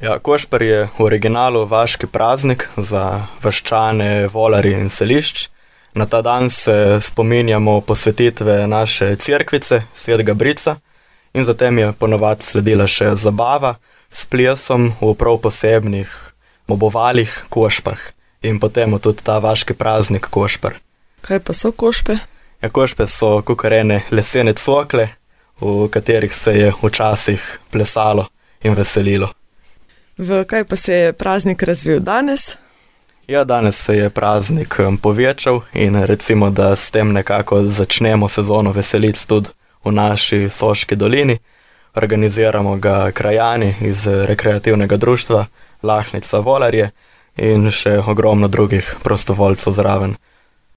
Ja, Košper je v originalu vaški praznik za vaščane, volarje in selišč. Na ta dan se spominjamo posvetitve naše cerkvice, Svetega Brica, in zatem je ponovadi sledila še zabava s plesom v prav posebnih mobovalih, košpah. In potem je tudi ta vaški praznik Košper. Kaj pa so košpe? Ja, košpe so kukarene lesene cokle, v katerih se je včasih plesalo in veselilo. V kaj pa se je praznik razvil danes? Ja, danes se je praznik povečal in recimo, da s tem nekako začnemo sezono veselic tudi v naši Soški dolini. Organiziramo ga krajani iz rekreativnega društva Lahnica Volarje in še ogromno drugih prostovoljcev zraven.